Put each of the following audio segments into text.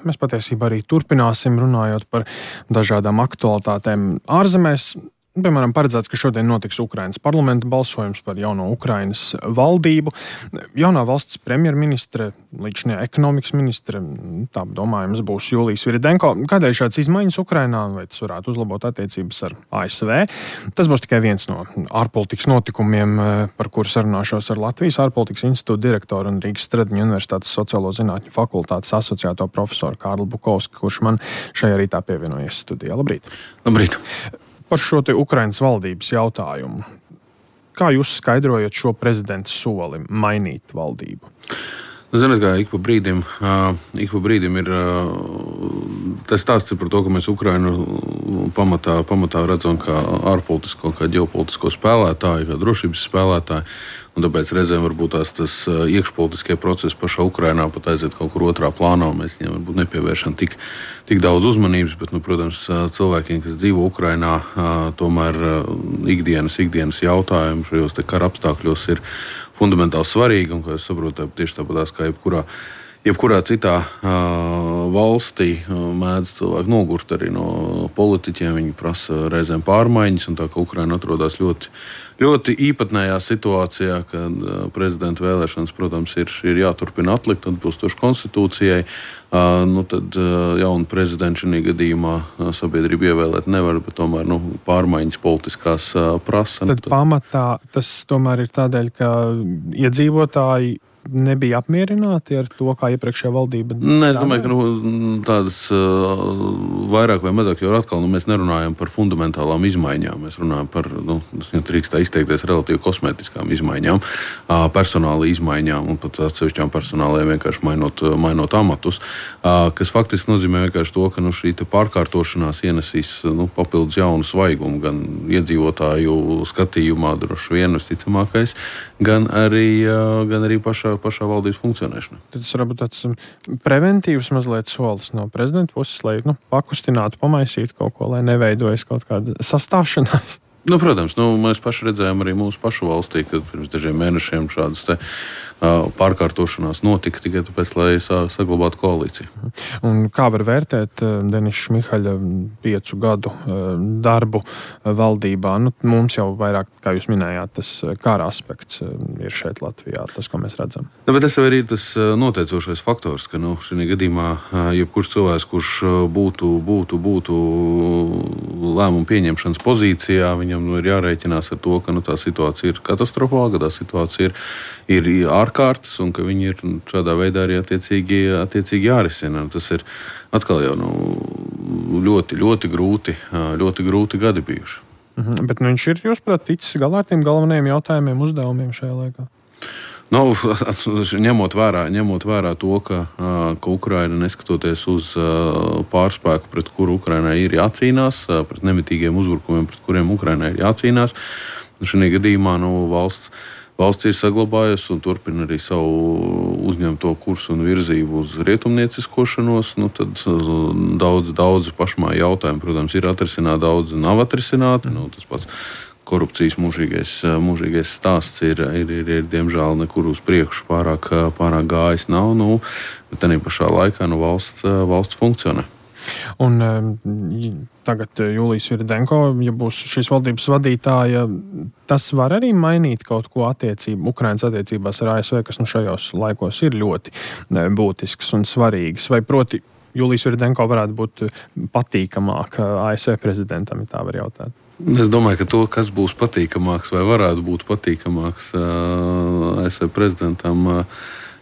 mēs patiesībā arī turpināsim runājot par dažādām aktualitātēm ārzemēs. Piemēram, paredzēts, ka šodien notiks Ukrainas parlamenta balsojums par jauno Ukrainas valdību. Jaunā valsts premjerministre, līdzinājā ekonomikas ministre, tā domājams, būs Julija Sviridenko. Kādēļ šāds izmaiņas Ukrainā, vai tas varētu uzlabot attiecības ar ASV? Tas būs tikai viens no ārpolitikas notikumiem, par kuru sarunāšos ar Latvijas ārpolitikas institūta direktoru un Rīgas Stradiņu universitātes sociālo zinātņu fakultātes asociēto profesoru Kārli Bukovski, kurš man šajā rītā pievienojies studijā. Labrīt! Labrīt! Par šo te Ukrainas valdības jautājumu. Kā jūs skaidrojat šo prezidenta soli mainīt valdību? Ziniet, kā ik pa brīdim ir tas stāsts par to, ka mēs Ukrainu pamatā redzam kā ārpolitisko, kā ģeopolitisko spēlētāju, kā drošības spēlētāju. Un tāpēc reizēm varbūt tas iekšpolitiskie procesi pašā Ukrainā pat aiziet kaut kur otrā plānā, un mēs viņiem varbūt nepievēršam tik daudz uzmanības, bet, protams, cilvēkiem, kas dzīvo Ukrainā, tomēr ikdienas jautājumi šajos te kara apstākļos ir fundamentāli svarīgi, un, kā jūs saprotat, tieši tāpatās kā jebkurā citā valstī mēdz cilvēki nogurt arī no politiķiem. Viņi prasa reizēm pārmaiņas, un tā kā Ukraina atrodas ļoti īpatnējā situācijā, kad prezidenta vēlēšanas, protams, ir jāturpina atlikt atbilstoši konstitūcijai. Tad jaunu prezidentu šajā gadījumā sabiedrība ievēlēt nevar, bet tomēr pārmaiņas politiskās prasa. Tad pamatā tas tomēr ir tādēļ, ka iedzīvotāji nebija apmierināti ar to, kā iepriekšējā valdība strādāja? Nē, es domāju, ka tādas vairāk vai mazāk, jo atkal mēs nerunājam par fundamentālām izmaiņām. Mēs runājam par, drīkst tā izteikties, relatīvi kosmētiskām izmaiņām, personāla izmaiņām un pat atsevišķām personālajiem vienkārši mainot amatus, kas faktiski nozīmē vienkārši to, ka šī pārkārtošanās ienesīs papildus jaunu svaigumu gan iedzīvotāju skatījumā, droši vien visticamākais, gan arī pašā valdības funkcionēšana. Tas varbūt tāds preventīvs mazliet solis no prezidenta puses, lai pakustinātu, pamaisītu kaut ko, lai neveidojas kaut kāda sastāšanās. Protams, mēs paši redzējām arī mūsu pašu valstī, kad pirms dažiem mēnešiem šādas pārkārtošanās notika tikai tāpēc, lai saglabātu koalīciju. Un kā var vērtēt Denisa Šmihaļa 5 gadu darbu valdībā? Mums jau vairāk, kā jūs minējāt, tas kara aspekts ir šeit Latvijā, tas, ko mēs redzam. Bet tas arī ir tas noteicošais faktors, ka šajā gadījumā jebkurš cilvēks, kurš būtu lēmumu pieņemšanas pozīcijā, viņam ir jārēķinās ar to, ka tā situācija ir katastrofāla, ka tā situācija ir ārkārtas un ka viņi ir šādā veidā arī attiecīgi jārisina. Tas ir atkal jau ļoti, ļoti grūti gadi bijuši. Bet viņš ir, jūsuprāt, ticis galā ar tiem galvenajiem jautājumiem, uzdevumiem šajā laikā? Ņemot vērā to, ka Ukraina, neskatoties uz pārspēku, pret kuru Ukrainai ir jācīnās, pret nemitīgiem uzbrukumiem, pret kuriem Ukrainai ir jācīnās, šajā gadījumā valsts ir saglabājusi un turpina arī savu uzņemto kursu un virzību uz rietumnieciskošanos. Tad daudz pašmāju jautājumu, protams, ir atrisināti, daudz nav atrisināti. Tas pats korupcijas mūžīgais stāsts ir diemžēl nekur uz priekšu pārāk gājis nav. Bet tādā pašā laikā valsts funkcionē. Un tagad Julija Sviridenko, ja būs šīs valdības vadītāja, tas var arī mainīt kaut ko Ukrainas attiecībās ar ASV, kas šajos laikos ir ļoti būtisks un svarīgs. Vai proti Julija Sviridenko varētu būt patīkamāka ASV prezidentam, ja tā var jautāt? Es domāju, ka to, kas būs patīkamāks vai varētu būt patīkamāks ASV prezidentam,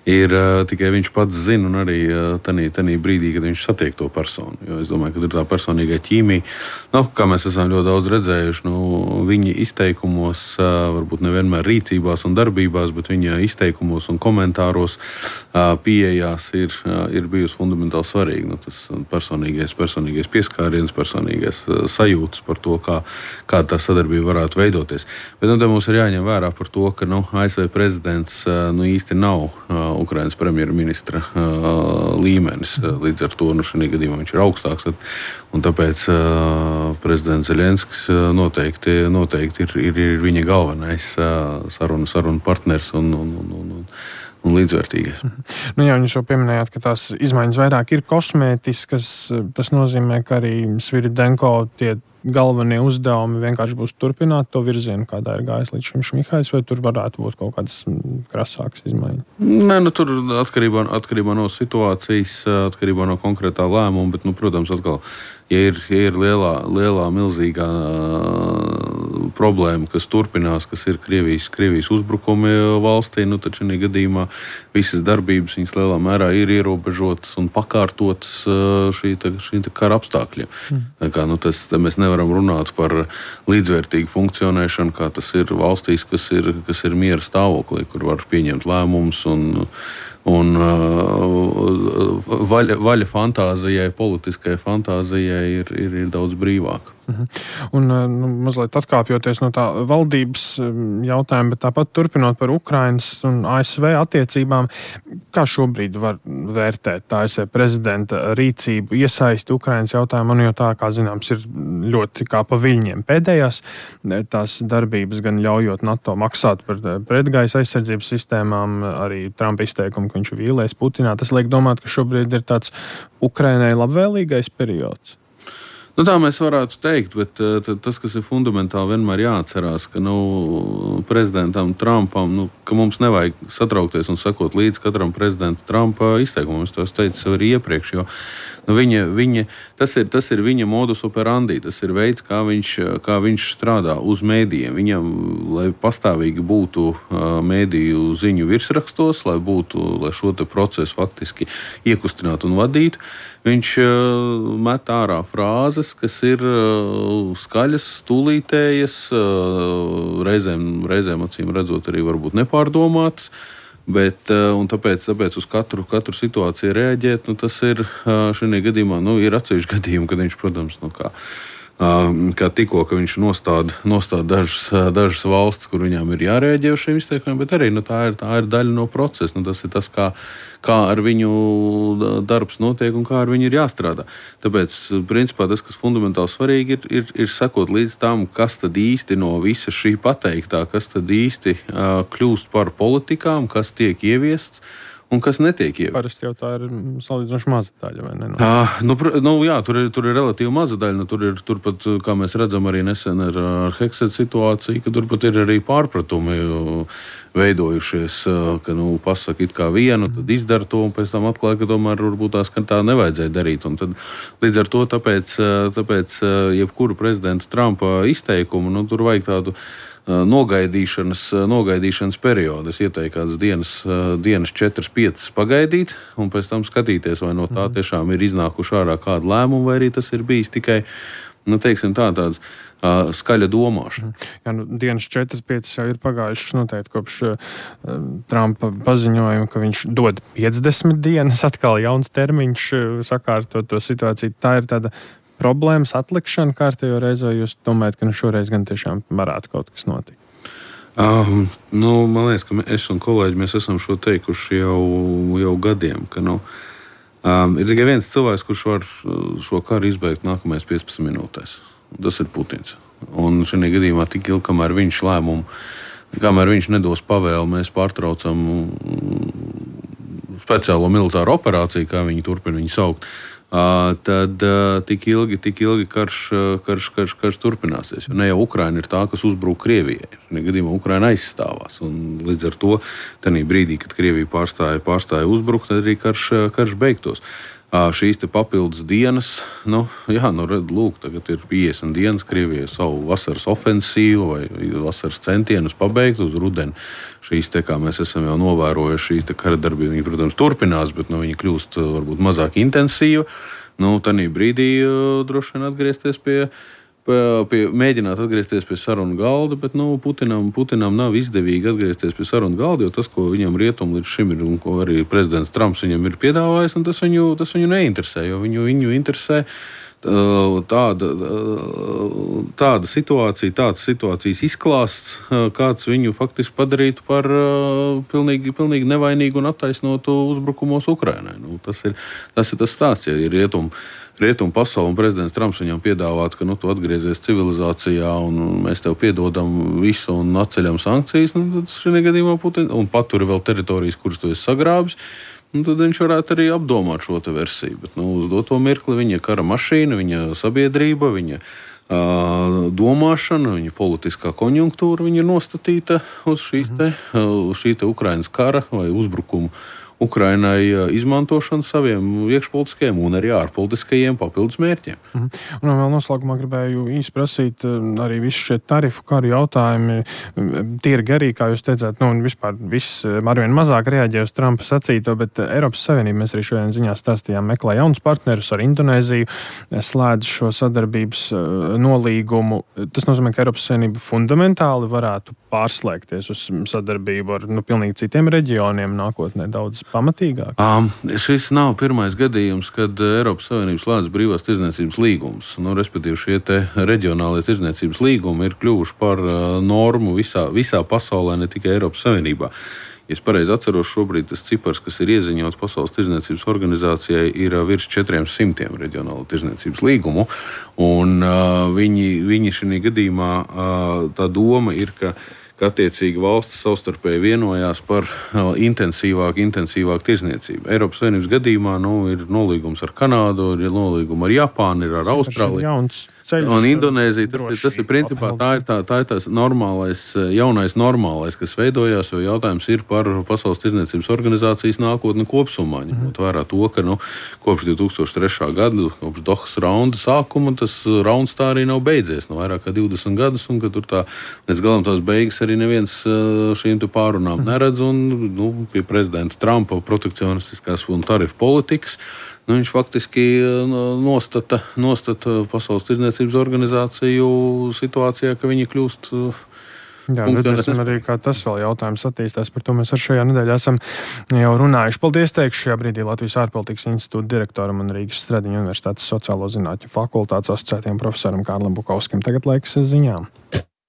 ir tikai viņš pats zina, un arī tanī brīdī, kad viņš satiek to personu. Jo es domāju, ka ir tā personīgā ķīmija. Kā mēs esam ļoti daudz redzējuši, viņa izteikumos, varbūt nevienmēr rīcībās un darbībās, bet viņa izteikumos un komentāros pieejās ir bijusi fundamentāli svarīga. Tas personīgais pieskāriens, personīgais sajūtas par to, kā tā sadarbība varētu veidoties. Bet te mums ir jāņem vērā par to, ka ASV prezidents īsti nav Ukrainas premjerministra līmenis. Līdz ar to šajā gadījumā viņš ir augstāks. Un tāpēc prezidents Zelenskis noteikti ir viņa galvenais sarunu partners un un līdzvērtīgais. Nu jā, jūs jau pieminējāt, ka tās izmaiņas vairāk ir kosmētiskas. Tas nozīmē, ka arī Sviridенко tie galvenie uzdevumi vienkārši būs turpināt to virzienu, kādā ir gājis līdz šim Šmihais, vai tur varētu būt kaut kādas krasākas izmaiņas? Nē, tur atkarībā no situācijas, atkarībā no konkrētā lēmuma, bet, protams, atkal, ja ir lielā milzīgā problēma, kas turpinās, kas ir Krievijas uzbrukumi valstī, tad šajā gadījumā visas darbības viņas lielā mērā ir ierobežotas un pakārtotas šī kara apstākļiem. Tā kā, mēs nevaram runāt par līdzvērtīgu funkcionēšanu, kā tas ir valstīs, kas ir miera stāvoklī, kur var pieņemt lēmumus un vaļa fantāzijai, politiskai fantāzijai ir daudz brīvāka. Un mazliet atkāpjoties no tā valdības jautājuma, bet tāpat turpinot par Ukrainas un ASV attiecībām, kā šobrīd var vērtēt ASV prezidenta rīcību, iesaisti Ukrainas jautājumā, jo tā, kā zināms, ir ļoti kā pa viļņiem pēdējās tās darbības, gan ļaujot NATO maksāt par pretgaisa aizsardzības sistēmām, arī Trumpa izteikumu, ka viņš vīlēs Putinā. Tas liek domāt, ka šobrīd ir tāds Ukrainai labvēlīgais periods. Tā mēs varētu teikt, bet tas, kas ir fundamentāli, vienmēr jāatcerās, ka prezidentam Trumpam, ka mums nevajag satraukties un sekot līdz katram prezidenta Trumpa izteikumam. Es to teicu arī iepriekš, jo tas ir viņa modus operandi, tas ir veids, kā viņš strādā uz mēdījiem. Viņam, lai pastāvīgi būtu mēdīju ziņu virsrakstos, lai šo te procesu faktiski iekustinātu un vadītu, viņš met ārā frāzes, kas ir skaļas, tūlītējas, reizēm acīm redzot arī varbūt nepārdomātas, bet tāpēc uz katru situāciju reaģēt, tas ir šajā gadījumā, ir atsevišķi gadījumi, kad viņš, protams, kā tikko, ka viņš nostāda dažas valstis, kur viņām ir jārēģē uz šiem izteikumiem, bet arī tā ir daļa no procesa. Tas ir tas, kā ar viņu darbs notiek un kā ar viņu ir jāstrādā. Tāpēc, principā, tas, kas fundamentāli svarīgi ir sekot līdz tam, kas tad īsti no visa šī pateiktā, kas tad īsti kļūst par politikām, kas tiek ieviests un kas netiek ieviests. Parasti jau tā ir salīdzinoši maza daļa, vai ne? Jā, tur ir relatīvi maza daļa. Tur pat, kā mēs redzam arī nesen ar Hexet situāciju, ka tur pat ir arī pārpratumi veidojušies, ka pasaka it kā vienu, tad izdara to, un pēc tam atklāja, ka tomēr varbūt tā nevajadzēja darīt. Un tad, līdz ar to tāpēc jebkuru prezidenta Trumpa izteikumu, tur vajag tādu nogaidīšanas periodu. Es ieteiktu kādas dienas 4-5 pagaidīt un pēc tam skatīties, vai no tā tiešām ir iznākuši ārā kādu lēmumu, vai arī tas ir bijis tikai, tāds skaļa domāšana. Jā, dienas 4-5 jau ir pagājušas noteikti kopš Trumpa paziņojuma, ka viņš dod 50 dienas, atkal jauns termiņš sakārtot to situāciju. Tā ir tāda problēmas atlikšana kārtējo reizi, vai jūs domājat, ka šoreiz gan tiešām varētu kaut kas notikt? Man liekas, ka es un kolēģi mēs esam šo teikuši jau gadiem, ka ir tikai viens cilvēks, kurš var šo karu izbeigt nākamais 15 minūtēs. Tas ir Putins. Un šajā gadījumā tik ilgi, kamēr viņš nedos pavēli, mēs pārtraucam speciālo militāro operāciju, kā viņi turpina viņu saukt. Tad tik ilgi karš turpināsies. Jo ne jau Ukraina ir tā, kas uzbruk Krievijai. Šajā gadījumā Ukraina aizstāvās. Un līdz ar to, tajā brīdī, kad Krievija pārstāja uzbrukt, tad arī karš beigtos. Šīs te papildus dienas, lūk, tagad ir 50 dienas Krievijai savu vasaras ofensīvu vai vasaras centienus pabeigt uz rudeni. Šīs te, kā mēs esam jau novērojuši, šīs te kara darbība, viņi, protams, turpinās, bet viņi kļūst varbūt mazāk intensīva. Tajā brīdī droši vien atgriezties mēģināt atgriezties pie sarunu galda, bet Putinam nav izdevīgi atgriezties pie sarunu galda, jo tas, ko viņam rietumi līdz šim ir un ko arī prezidents Trumps viņam ir piedāvājis, un tas viņu neinteresē, jo viņu interesē tāda situācija, tāds situācijas izklāsts, kāds viņu faktiski padarītu par pilnīgi nevainīgu un attaisnotu uzbrukumos Ukrainai. Tas ir tas stāsts, ja ir rietumu pasauli un prezidents Trumps viņam piedāvāt, ka tu atgriezies civilizācijā un mēs tev piedodam visu un atceļam sankcijas, tad šajā gadījumā un paturi vēl teritorijas, kuras tu esi sagrābis, tad viņš varētu arī apdomāt šo versiju. Bet uz doto mirkli viņa kara mašīna, viņa sabiedrība, viņa domāšana, viņa politiskā konjunktūra, viņa ir nostatīta uz šī Ukrainas kara vai uzbrukumu Ukrainai izmantošanu saviem iekšpolitiskajiem un arī ārpolitiskajiem papildus mērķiem. Un vēl noslēgumā gribēju īsi prasīt arī visu šie tarifu karu jautājumi. Tīri garīgi, kā jūs teicāt, un vispār viss arvien mazāk reaģē uz Trumpa sacīto, bet Eiropas Savienība, mēs arī šodien ziņā stāstījām, meklē jaunus partnerus ar Indonēziju, slēdz šo sadarbības nolīgumu. Tas nozīmē, ka Eiropas Savienība fundamentāli varētu pārslēgties uz sadarbību ar pilnīgi citiem reģioniem nākotnē daudz pamatīgāk? Šis nav pirmais gadījums, kad Eiropas Savienības slēdz brīvās tirdzniecības līgumus. Respektīvi, šie reģionālie tirdzniecības līgumi ir kļuvuši par normu visā pasaulē, ne tikai Eiropas Savienībā. Ja es pareizi atceros, šobrīd tas cipars, kas ir ieziņots Pasaules tirdzniecības organizācijai, ir virs 400 reģionālo tirdzniecības līgumu. Un viņi šajā gadījumā tā doma ir, ka attiecīgi valstis savstarpēji vienojās par intensīvāku tirdzniecību. Eiropas Savienības gadījumā ir nolīgums ar Kanādu, ir nolīgums ar Japānu, ir ar Austrāliju un Indonēziju. Tas ir principā tā ir tās jaunais normālais, kas veidojās, jo jautājums ir par Pasaules tirdzniecības organizācijas nākotni kopsumā. Ņemot vērā to, ka kopš 2003. gada, kopš Dohas raunda sākuma, tas rauns tā arī nav beidzies vairāk kā 20 gadus, un ka tur līdz galam tās beigas arī neviens šīm pārunām neredz, un pie prezidenta Trumpa protekcionistiskās un tarifu politikas viņš faktiski nostata Pasaules tirdzniecības organizāciju situācijā, ka viņi kļūst. Jā, redzēsim arī, kā tas vēl jautājums attīstās. Par to mēs ar šajā nedēļā esam jau runājuši. Paldies, teikšu šajā brīdī Latvijas ārpolitikas institūta direktoram un Rīgas Stradiņu universitātes sociālo zinātņu fakultātes asociētajam profesoram Kārlim Bukovskim. Tagad laiks ziņām.